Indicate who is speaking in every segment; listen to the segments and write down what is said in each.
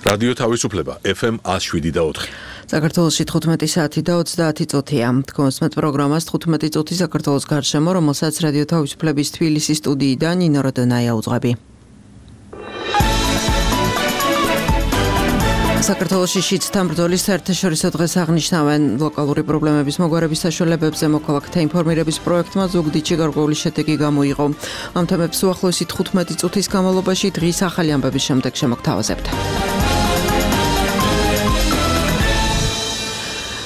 Speaker 1: რადიო თავისუფლება FM 107.4.
Speaker 2: საქართველოში 15 საათი და 30 წუთია. თქვენს პროგრამას 15 წუთი საქართველოს გარშემო, რომელსაც რადიო თავისუფლების თბილისის სტუდიიდან ნინო როდონაია უძღვები. საქართველოში შიდთან ბრძოლის საერთაშორისო დღეს აღნიშნავენ ლოკალური პრობლემების მოგვარების საშუალებებზე მოქალაქეთა ინფორმირების პროექტმა ზუგდიდში გარკვეული შედეგი გამოიღო. ამ თემებს უახლოესი 15 წუთის განმავლობაში დღის ახალი ამბების შემდეგ შემოგთავაზებთ.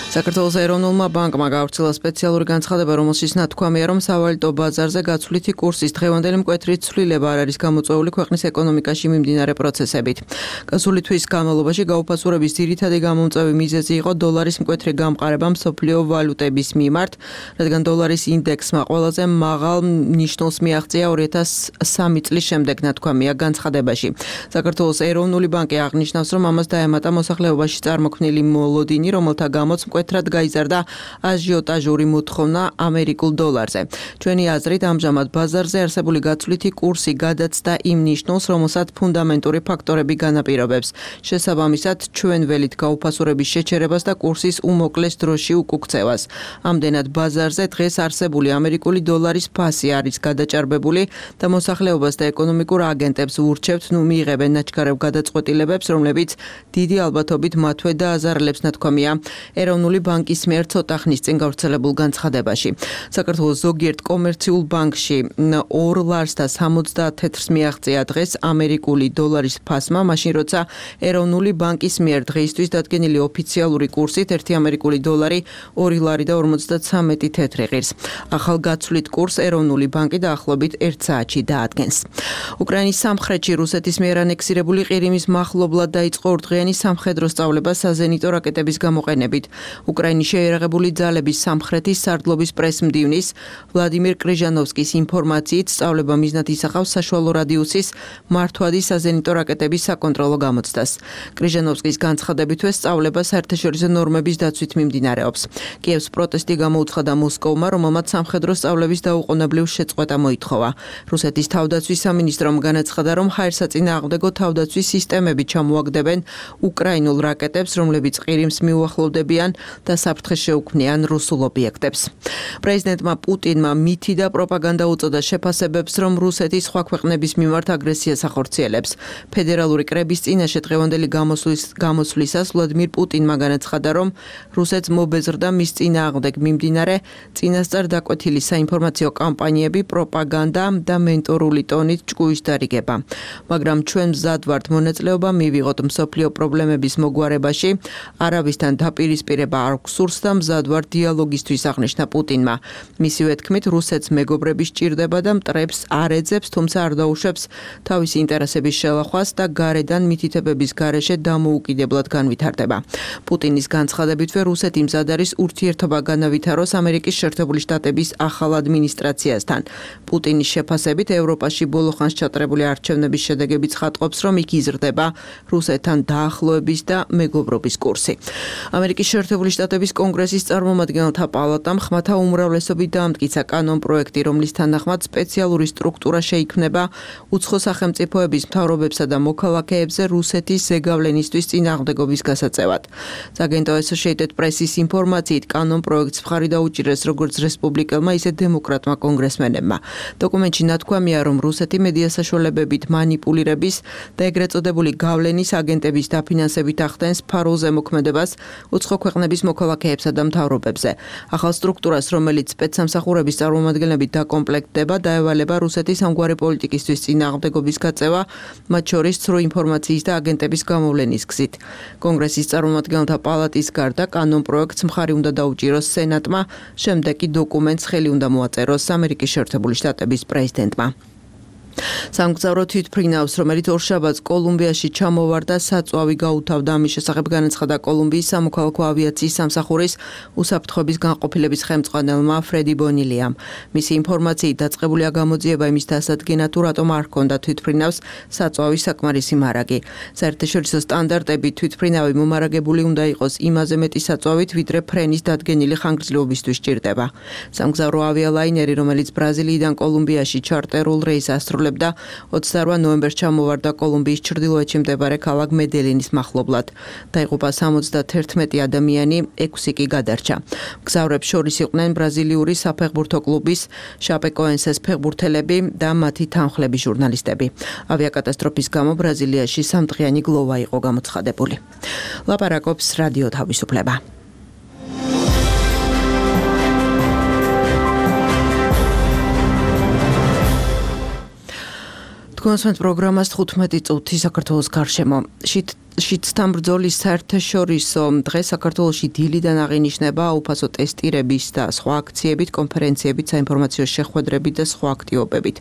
Speaker 2: საქართველოს ეროვნულმა ბანკმა გავრცელა სპეციალური განცხადება, რომელშიც ნათქვამია, რომ სავალუტო ბაზარზე გაცვლითი კურსის დღევანდელი მკვეთრი ცვლილება არ არის გამოწვეული ქვეყნის ეკონომიკაში მიმდინარე პროცესებით. გასული თვის განმავლობაში გაუფასურების ძირითადი გამომწვევი მიზეზი იყო დოლარის მკვეთრი გამყარება მსოფლიო ვალუტების მიმართ, რადგან დოლარის ინდექსმა ყველაზე მაღალ ნიშნულს მიაღწია 2003 წლის შემდეგ, ნათქვამია განცხადებაში. საქართველოს ეროვნული ბანკი აღნიშნავს, რომ ამას დაემატა მოსახლეობაში წარმოქმნილი მოლოდინი, რომელთა გამოც მკვეთრად გაიზარდა აჟიოტაჟური მოთხოვნა ამერიკულ დოლარზე. ჩვენი აზრით, ამჟამად ბაზარზე არსებული გაცვლითი კურსი გადაცდა იმ ნიშნულს, რომელსაც ფუნდამენტური ფაქტორები განაპირობებს. შესაბამისად, ჩვენ ველით გაუფასურების შეჩერებას და კურსის უმოკლეს დროში უკუქცევას. ამდენად ბაზარზე დღეს არსებული ამერიკული დოლარის ფასი არის გადაჭარბებული და მოსახლეობას და ეკონომიკურ აგენტებს ურჩევთ მიიღებენ ნაჩქარევ გადაწყვეტილებებს, რომლებიც დიდი ალბათობით მათვე დააზარალებს, ნათქვამია ეროვნული ბანკის მიერ ცოტა ხნის წინ გავრცელებულ განცხადებაში. საქართველოს ზოგიერთ კომერციულ ბანკში 2 ლარს და 70 თეთრს მიაღწია დღეს ამერიკული დოლარის ფასმა, მაშინ როცა ეროვნული ბანკის მიერ დღეისთვის დადგენილი ოფიციალური კურსით 1 ამერიკული დოლარი 2 ლარი და 53 თეთრი ღირს. ახალ გაცვლით კურს ეროვნული ბანკი დაახლოებით 1 საათში დაადგენს. უკრაინის სამხრეთში რუსეთის მიერ ანექსირებული ყირიმის მახლობლად დაიწყო ორდღიანი სამხედრო სწავლება საზენიტო რაკეტების გამოყენებით. უკრაინის შეიარაღებული ძალების სამხრეთის სარდლობის პრესმდივნის ვლადიმირ კრიჟანოვსკის ინფორმაციით სწავლება მიზნად ისახავს საშუალო რადიუსის მართვადი საზენიტო რაკეტების საკონტროლო გამოცდას. კრიჟანოვსკის განცხადებითვე სწავლება საერთაშორისო ნორმების დაცვით მიმდინარეობს. კიევს პროტესტი გამოუცხადა მოსკოვმა, რომელმაც სამხედრო სწავლების დაუყოვნებლივ შეწყვეტა მოითხოვა. რუსეთის თავდაცვის სამინისტრომ განაცხადა, რომ ჰაერსაწინააღმდეგო თავდაცვის სისტემები ჩამოაგდებენ უკრაინულ რაკეტებს, რომლებიც ყირიმს მიუახლოვდებიან და საფრთხეს შეუქმნიან რუსულ ობიექტებს. პრეზიდენტმა პუტინმა მითი და პროპაგანდა უწოდა შეფასებებს, რომ რუსეთი სხვა ქვეყნების მიმართ აგრესიას ახორციელებს. ფედერალური კრების წინაშე დღევანდელი გამოსვლისას ვლადიმირ პუტინმა განაცხადა, რომ რუსეთს მობეზრდა მის წინააღმდეგ მიმდინარე წინასწარ დაკვეთილი საინფორმაციო კამპანიები, პროპაგანდა და მენტორული ტონით ჭკუის დარიგება. მაგრამ ჩვენ მზად ვართ მონაწილეობა მივიღოთ მსოფლიო პრობლემების მოგვარებაში, არავისთან დაპირისპირება არ გსურს და მზად ვარ დიალოგისთვის, აღნიშნა პუტინმა. მისივე თქმით, რუსეთს მეგობრები სჭირდება და მტრებს არ ეძებს, თუმცა არ დაუშვებს თავისი ინტერესების შელახვას და გარედან მითითებების გარეშე დამოუკიდებლად განვითარდება. პუტინის განცხადებითვე რუსეთი მზად არის ურთიერთობა განავითაროს ამერიკის შეერთებული შტატების ახალ ადმინისტრაციასთან. პუტინის შეფასებით, ევროპაში ბოლო ხანს ჩატარებული არჩევნების შედეგები ცხადყოფს, რომ იქ იზრდება რუსეთთან დაახლოების და მეგობრობის კურსი. ამერიკის შეერთებული შტატების კონგრესის წარმომადგენელთა პალატამ ხმათა უმრავლესობით დაამტკიცა კანონპროექტი, რომლის თანახმად სპეციალური სტრუქტურა შეიქმნება უცხო სახელმწიფოების მთავრობებსა და მოქალაქეებზე რუსეთის ზეგავლენისთვის წინააღმდეგობის გასაწევად. სააგენტო Associated Press-ის ინფორმაციით, კანონპროექტს მხარი დაუჭირეს როგორც რესპუბლიკელმა, ისე დემოკრატმა კონგრესმენებმა. დოკუმენტში ნათქვამია, რომ რუსეთი მედია საშუალებებით მანიპულირების და ეგრეთ წოდებული გავლენის აგენტების დაფინანსებით ახდენს ფარულ ზემოქმედებას უცხო ქვეყნების მოქალაქეებსა და მთავრობებზე. ახალ სტრუქტურას, რომელიც სპეცსამსახურების წარმომადგენლებით დაკომპლექტდება, დაევალება რუსეთის ამგვარი პოლიტიკისთვის წინააღმდეგობის გაწევა, მათ შორის ცრუ ინფორმაციის და აგენტების გამოვლენის გზით. კონგრესის წარმომადგენელთა პალატის გარდა კანონპროექტს მხარი უნდა დაუჭიროს სენატმა, შემდეგ კი დოკუმენტს ხელი უნდა მოაწეროს ამერიკის შეერთებული შტატების პრეზიდენტმა. სამგზავრო თვითმფრინავს, რომელიც ორშაბათს კოლუმბიაში ჩამოვარდა, საწვავი გაუთავდა. ამის შესახებ განაცხადა კოლუმბიის სამოქალაქო ავიაციის სამსახურის უსაფრთხოების განყოფილების ხელმძღვანელმა ფრედი ბონილიამ. მისი ინფორმაციით დაწყებულია გამოძიება იმის დასადგენად, თუ რატომ არ ჰქონდა თვითმფრინავს საწვავის საკმარისი მარაგი. საერთაშორისო სტანდარტები თვითმფრინავი მომარაგებული უნდა იყოს იმაზე მეტი საწვავით, ვიდრე ფრენის დადგენილი ხანგრძლივობისთვის სჭირდება. სამგზავრო ავიალაინერი, რომელიც ბრაზილიიდან კოლუმბიაში ჩარტერულ რეისს ასრულებს, ასრულებდა 28 ნოემბერს ჩამოვარდა კოლუმბიის ჩრდილოეთში მდებარე ქალაქ მედელინის მახლობლად. დაიღუპა 71 ადამიანი, 6 კი გადარჩა. მგზავრებს შორის იყვნენ ბრაზილიური საფეხბურთო კლუბის შაპეკოენსეს ფეხბურთელები და მათი თანხლები ჟურნალისტები. ავიაკატასტროფის გამო ბრაზილიაში 3დღიანი გლოვა იყო გამოცხადებული. ლაპარაკობს რადიო თავისუფლება. თქვენს პროგრამას 15 წუთი საქართველოს გარშემო. შიდსთან ბრძოლის საერთაშორისო დღე საქართველოში დილიდან აღინიშნება უფასო ტესტირების და სხვა აქციებით, კონფერენციებით, საინფორმაციო შეხვედრებით და სხვა აქტივობებით.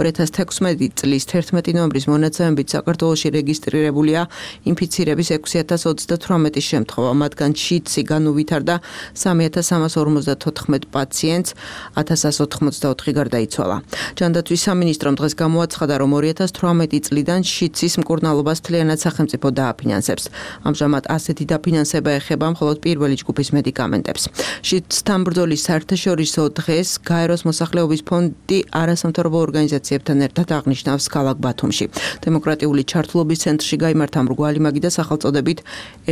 Speaker 2: 2016 წლის 11 ნოემბრის მონაცემებით საქართველოში რეგისტრირებულია ინფიცირების 6038 შემთხვევა, მათგან შიდსი განუვითარდა 3354 პაციენტს, 1184 გარდაიცვალა. ჯანდაცვის სამინისტრომ დღეს გამოაცხადა, რომ 2018 წლიდან შიდსის მკურნალობას მთლიანად სახელმწიფო დააფინანსებს. ამჟამად ასეთი დაფინანსება ეხება მხოლოდ პირველი ჯგუფის მედიკამენტებს. შიდსთან ბრძოლის საერთაშორისო დღეს გაეროს მოსახლეობის ფონდი არასამთავრობო ორგანიზაციებთან ერთად აღნიშნავს ქალაქ ბათუმში. დემოკრატიული ჩართულობის ცენტრში გაიმართა მრგვალი მაგი და სახელწოდებით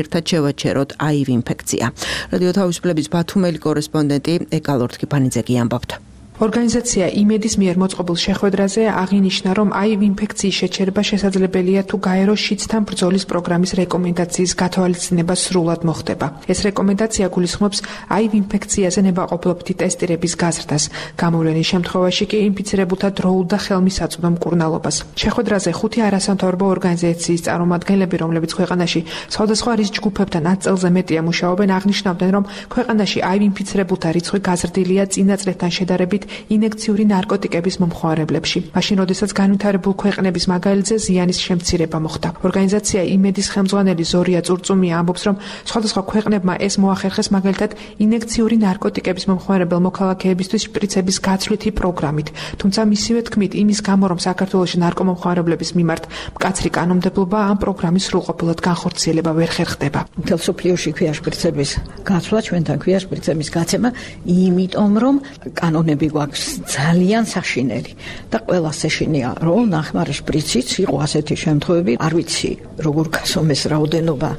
Speaker 2: ერთად შევაჩეროთ HIV ინფექცია. რადიო თავისუფლების ბათუმელი კორესპონდენტი ეკალორთ კიფანიძე ამბობთ.
Speaker 3: ორგანიზაცია იმედის მიერ მოწყობილ შეხვედრაზე აღინიშნა, რომ HIV ინფექციის შეჩერება შესაძლებელია თუ გაეროს შიდსთან ბრძოლის პროგრამის რეკომენდაციის გათვალისწინება სრულად მოხდება. ეს რეკომენდაცია გულისხმობს HIV ინფექციაზე ნებაყოფლობითი ტესტირების გაზრდას, გამოვლენის შემთხვევაში კი ინფიცირებულთა დროულ და ხელმისაწვდო მკურნალობას. შეხვედრაზე 5 არასამთავრობო ორგანიზაციის წარმომადგენლები, რომლებიც ქვეყანაში სხვადასხვა რისკ ჯგუფებთან 10 წელზე მეტია მუშაობენ, აღნიშნავდნენ, რომ ქვეყანაში HIV ინფიცირებულთა რიცხვი გაზრდილია წინა წლებთან შედარებით ინექციური ნარკოტიკების მომხმარებლებში. მაშინ, როდესაც განვითარებულ ქვეყნების მაგალითზე ზიანის შემცირება მოხდა. ორგანიზაცია იმედის ხელმძღვანელი ზორია წურწუმია ამბობს, რომ სხვადასხვა ქვეყნებმა ეს მოახერხეს მაგალითად ინექციური ნარკოტიკების მომხმარებელ მოქალაქეებისთვის შპრიცების გაცვლითი პროგრამით. თუმცა მისივე თქმით, იმის გამო, რომ საქართველოში ნარკომომხმარებლების მიმართ მკაცრი კანონმდებლობა ამ პროგრამის სრულყოფილად განხორციელება ვერ ხერხდება.
Speaker 4: მთელ სოფლიოში ქვია შპრიცების გაცვლა, ჩვენთან ქვია შპრიცების გაცემა, იმიტომ რომ კანონები გვაქვს ძალიან საშინელი და ყველას ეშინია, რომ ნახმარი შპრიციც იყო ასეთი შემთხვევები, არ ვიცი როგორ გასომეს რაოდენობა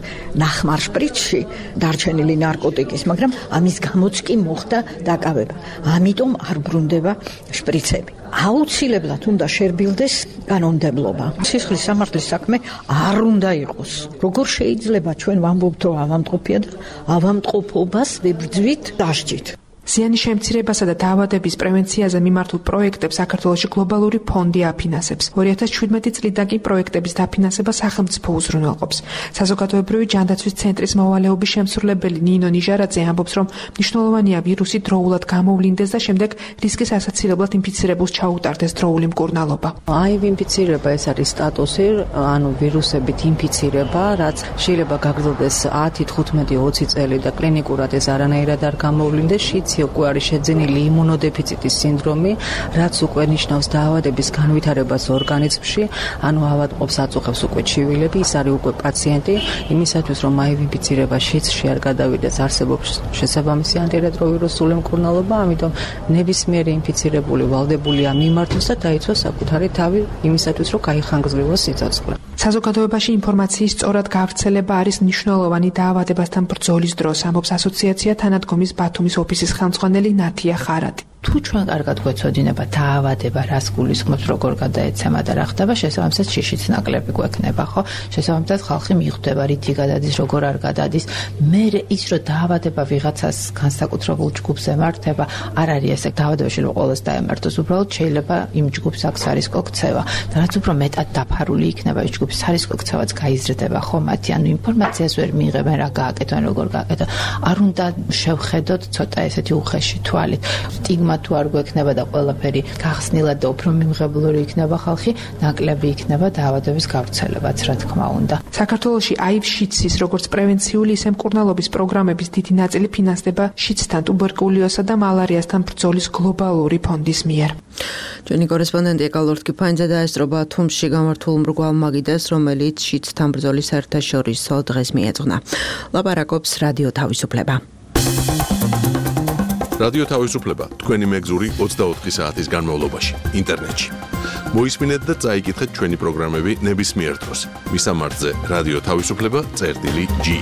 Speaker 4: ნახმარ შპრიცში დარჩენილი ნარკოტიკის, მაგრამ ამის გამოც კი მოხდა დაკავება. ამიტომ არ ბრუნდება შპრიცები. აუცილებლად უნდა შერბილდეს კანონმდებლობა. სისხლის სამართლის საქმე არ უნდა იყოს. როგორ შეიძლება ჩვენ ვამბობთ, რომ ავამტყოფია და ავამტყოფობას ვებრძვით დასჯით.
Speaker 3: ზიანის შემცირებასა და დაავადების პრევენციაზე მიმართულ პროექტებს საქართველოში გლობალური ფონდი აფინანსებს. 2017 წლიდან კი პროექტების დაფინანსება სახელმწიფო უზრუნველყოფს. საზოგადოებრივი ჯანდაცვის ცენტრის მოვალეობის შემსრულებელი ნინო ნიჟარაძე ამბობს, რომ მნიშვნელოვანია ვირუსი დროულად გამოვლინდეს და შემდეგ რისკის ასაცილებლად ინფიცირებულს ჩაუტარდეს დროული მკურნალობა.
Speaker 5: HIV ინფიცირება ეს არის სტატუსი, ანუ ვირუსებით ინფიცირება, რაც შეიძლება გაგრძელდეს 10, 15, 20 წელი და კლინიკურად ეს არანაირად არ გამოვლინდეს. უკვე არის შეძენილი იმუნოდეფიციტის სინდრომი, რაც უკვე ნიშნავს დაავადების განვითარებას ორგანიზმში, ანუ ავადმყოფს აწუხებს უკვე ჩივილები, ის არის უკვე პაციენტი, იმისათვის რომ HIV ინფიცირება შიდსში არ გადავიდეს, არსებობს შესაბამისი ანტირეტროვირუსული მკურნალობა, ამიტომ ნებისმიერი ინფიცირებული ვალდებულია მიმართოს და დაიცვას საკუთარი თავი იმისათვის, რომ გაიხანგრძლივოს სიცოცხლე.
Speaker 3: საზოგადოებაში ინფორმაციის სწორად გავრცელება არის მნიშვნელოვანი დაავადებასთან ბრძოლის დროს, ამბობს ასოციაცია თანადგომის ბათუმის ოფისის ხელმძღვანელი ნათია ხარატი.
Speaker 6: თუ ჩვენ კარგად გვეცოდინება დაავადება, რას გულისხმობს, როგორ გადაეცემა და რა ხდება, შესაბამისად შიშიც ნაკლები გვექნება, ხო? შესაბამისად ხალხი მიხვდება, რითი გადადის, როგორ არ გადადის. მე ის რომ დაავადება ვიღაცას განსაკუთრებულ ჯგუფს ემართება, არ არის ესე დაავადება შეიძლება ყოველს დაემართოს, უბრალოდ შეიძლება იმ ჯგუფს აქვს სარისკო ქცევა. და რაც უფრო მეტად დაფარული იქნება ის ჯგუფი, სარისკო ქცევაც გაიზრდება, ხო? მათი ანუ ინფორმაციას ვერ მიიღებენ, რა გააკეთონ, როგორ გააკეთონ. არ უნდა შევხედოთ ცოტა ესეთი უხეში თვალით. სტიგმა თუ არ გვექნება და ყველაფერი გახსნილად და უფრო მიმღებლური იქნება ხალხი, ნაკლები იქნება დაავადების გავრცელებაც, რა თქმა უნდა.
Speaker 3: საქართველოში HIV შიდსის როგორც პრევენციული, ისე მკურნალობის პროგრამების დიდი ნაწილი ფინანსდება შიდსთან, ტუბერკულიოზსა და მალარიასთან ბრძოლის გლობალური ფონდის მიერ.
Speaker 2: ჩვენი კორესპონდენტი ეკალორთ კიფანიძე დაესწრობა ბათუმში გამართულ მრგვალ მაგიდას, რომელიც შიდსთან ბრძოლის საერთაშორისო დღეს მიეძღვნა. ლაპარაკობს რადიო თავისუფლება.
Speaker 1: რადიო თავისუფლება თქვენი მეგზური 24 საათის განმავლობაში ინტერნეტში. მოისმინეთ და წაიკითხეთ ჩვენი პროგრამები ნებისმიერ დროს. მისამართზე რადიო თავისუფლება.ge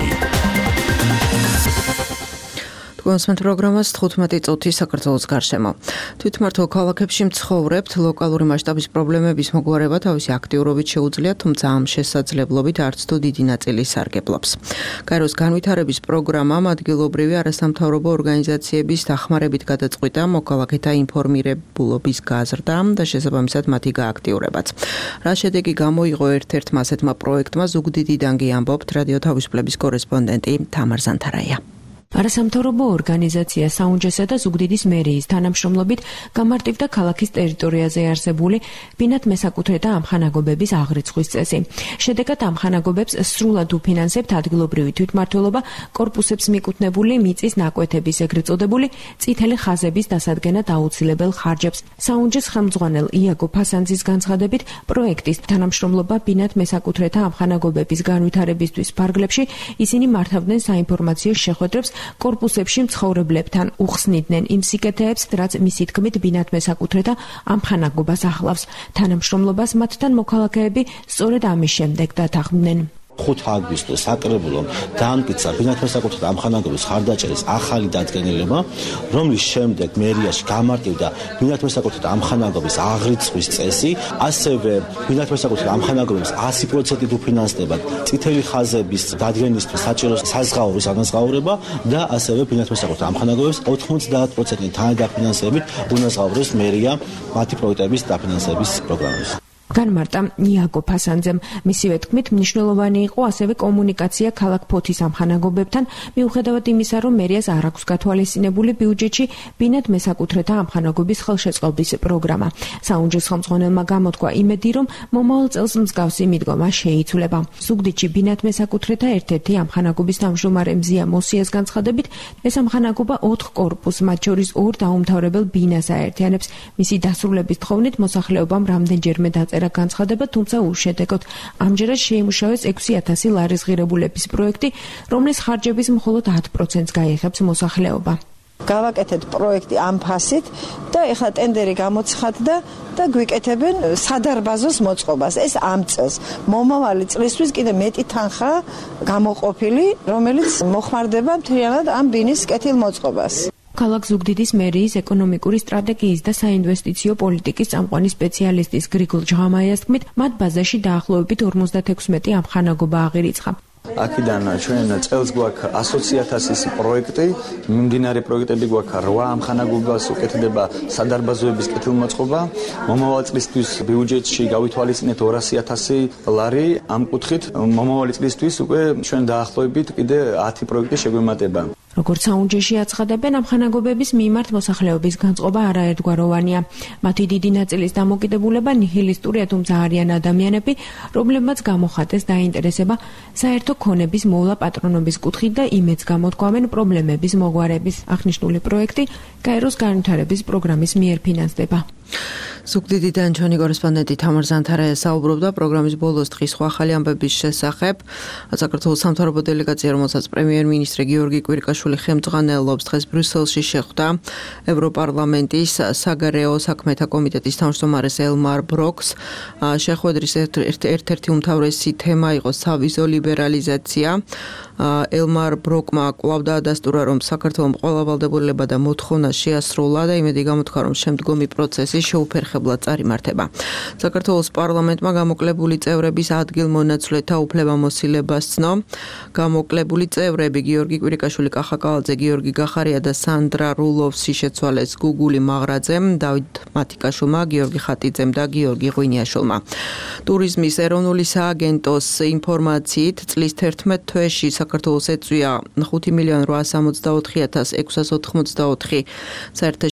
Speaker 2: თქვენს პროგრამას 15 წუთი საქართველოს გარშემო. თვითმმართველ ქალაქებში მცხოვრებთ ლოკალური მასშტაბის პრობლემების მოგვარება თავისი აქტიურობით შეუძლია, თუმცა ამ შესაძლებლობით არც თუ დიდი ნაწილი სარგებლობს. გაეროს განვითარების პროგრამამ ადგილობრივი არასამთავრობო ორგანიზაციების დახმარებით გადაწყვიტა მოქალაქეთა ინფორმირებულობის გაზრდა და შესაბამისად მათი გააქტიურებაც. რა შედეგი გამოიღო ერთ-ერთმა ასეთმა პროექტმა ზუგდიდიდან კი ამბობთ რადიო თავისუფლების კორესპონდენტი თამარ ზანთარაია.
Speaker 3: არასამთავრობო ორგანიზაცია საუნჯესა და ზუგდიდის მერიის თანამშრომლობით გამარტივდა ქალაქის ტერიტორიაზე არსებული ბინათ მესაკუთრეთა ამხანაგობების აღრიცხვის წესი. შედეგად ამხანაგობებს სრულად უფინანსებთ ადგილობრივი თვითმმართველობა კორპუსებს მიკუთვნებული მიწის ნაკვეთების ეგრეთ წოდებული წითელი ხაზების დასადგენად აუცილებელ ხარჯებს. საუნჯეს ხელმძღვანელ იაგო ფასანძის განცხადებით, პროექტის თანამშრომლობა ბინათ მესაკუთრეთა ამხანაგობების განვითარებისთვის ფარგლებში ისინი მართავდნენ საინფორმაციო შეხვედრებს კორპუსებში მცხოვრებლებთან უხსნიდნენ იმ სიკეთეებს, რაც მისი თქმით ბინათ მესაკუთრეთა ამხანაგობას ახლავს. თანამშრომლობას მათთან მოქალაქეები სწორედ ამის შემდეგ დათანხმდნენ.
Speaker 7: 5 აგვისტოს საკრებულომ დაამტკიცა ბინათ მესაკუთრეთა ამხანაგობის ხარდაჭერის ახალი დადგენილება, რომლის შემდეგ მერიაში გამარტივდა ბინათ მესაკუთრეთა ამხანაგობის აღრიცხვის წესი, ასევე ბინათ მესაკუთრეთა ამხანაგობების 100%-ით უფინანსდება წითელი ხაზების დადგენისთვის საჭირო საზღაურის ანაზღაურება და ასევე ბინათ მესაკუთრეთა ამხანაგობების 90%-ით თანადაფინანსებით უნაზღაუროს მერია მათი პროექტების დაფინანსების პროგრამებს.
Speaker 3: განმარტა იაგო ფასანძემ. მისივე თქმით, მნიშვნელოვანი იყო ასევე კომუნიკაცია ქალაქ ფოთის ამხანაგობებთან, მიუხედავად იმისა, რომ მერიას არ აქვს გათვალისწინებული ბიუჯეტში ბინათ მესაკუთრეთა ამხანაგობის ხელშეწყობის პროგრამა. საუნჯეს ხელმძღვანელმა გამოთქვა იმედი, რომ მომავალ წელს მსგავსი მიდგომა შეიცვლება. ზუგდიდში ბინათ მესაკუთრეთა ერთ-ერთი ამხანაგობის თავმჯდომარე მზია მოსიას განცხადებით, ეს ამხანაგობა 4 კორპუსს, მათ შორის 2 დაუმთავრებელ ბინას აერთიანებს. მისი დასრულების თხოვნით მოსახლეობამ რამდენჯერმე დაწერა განცხადება, თუმცა უშედეგოდ. ამჯერად შეიმუშავეს 6,000 ლარის ღირებულების პროექტი, რომლის ხარჯების მხოლოდ 10%-ს გაიხებს მოსახლეობა.
Speaker 8: გავაკეთეთ პროექტი ამ ფასით და ეხლა ტენდერი გამოცხადდა და გვიკეთებენ სადარბაზოს მოწყობას. ეს ამ წელს მომავალი წლისთვის კიდე მეტი თანხა გამოყოფილი, რომელიც მოხმარდება მთლიანად ამ ბინის კეთილ მოწყობას.
Speaker 3: ქალაქ ზუგდიდის მერიის ეკონომიკური სტრატეგიის და საინვესტიციო პოლიტიკის წამყვანი სპეციალისტის გრიგოლ ჟღამაიას თქმით, მათ ბაზაში დაახლოებით 56 ამხანაგობა აღირიცხა.
Speaker 9: აქედან ჩვენ წელს გვაქვს 100,000 პროექტი, მიმდინარე პროექტები გვაქვს 8 ამხანაგობას უკეთდება სადარბაზოების კეთილმოწყობა. მომავალ წლისთვის ბიუჯეტში გავითვალისწინეთ 200,000 ლარი ამ კუთხით. მომავალი წლისთვის უკვე ჩვენ დაახლოებით კიდე 10 პროექტი შეგვემატება.
Speaker 3: როგორც საუნჯეში აცხადებენ, ამხანაგობების მიმართ მოსახლეობის განწყობა არაერთგვაროვანია. მათი დიდი ნაწილის დამოკიდებულება ნიჰილისტურია, თუმცა არიან ადამიანები, რომლებმაც გამოხატეს დაინტერესება საერთო ქონების მოვლა პატრონობის კუთხით და იმედს გამოთქვამენ პრობლემების მოგვარების. აღნიშნული პროექტი გაეროს განვითარების პროგრამის მიერ ფინანსდება.
Speaker 2: ზუგდიდიდან ჩვენი კორესპონდენტი თამარ ზანთარაია საუბრობდა პროგრამის ბოლოს დღის სხვა ახალი ამბების შესახებ. საქართველოს სამთავრობო დელეგაცია, რომელსაც პრემიერ-მინისტრი გიორგი კვირიკაშვილი ხელმძღვანელობს, დღეს ბრიუსელში შეხვდა ევროპარლამენტის საგარეო საქმეთა კომიტეტის თავმჯდომარეს ელმარ ბროკს. შეხვედრის ერთ-ერთი უმთავრესი თემა იყო სავიზო ლიბერალიზაცია. ელმარ ბროკმა კვლავ დაადასტურა, რომ საქართველოს ყველა ვალდებულება და მოთხოვნა შეასრულა და იმედი გამოთქვა, რომ შემდგომი პროცესი შეუფერხებლად წარიმართება. საქართველოს პარლამენტმა გამოკლებული წევრების ადგილმონაცვლეთა უფლებამოსილებას ცნო. გამოკლებული წევრები გიორგი კვირიკაშვილი, კახა კალაძე, გიორგი გახარია და სანდრა რულოვსი შეცვალეს გუგული მაღრაძემ, დავით მათიკაშვილმა, გიორგი ხატიძემ და გიორგი ღვინიაშვილმა. ტურიზმის ეროვნული სააგენტოს ინფორმაციით წლის 11 თვეში საქართველოს ეწვია 5,864,684 საერთო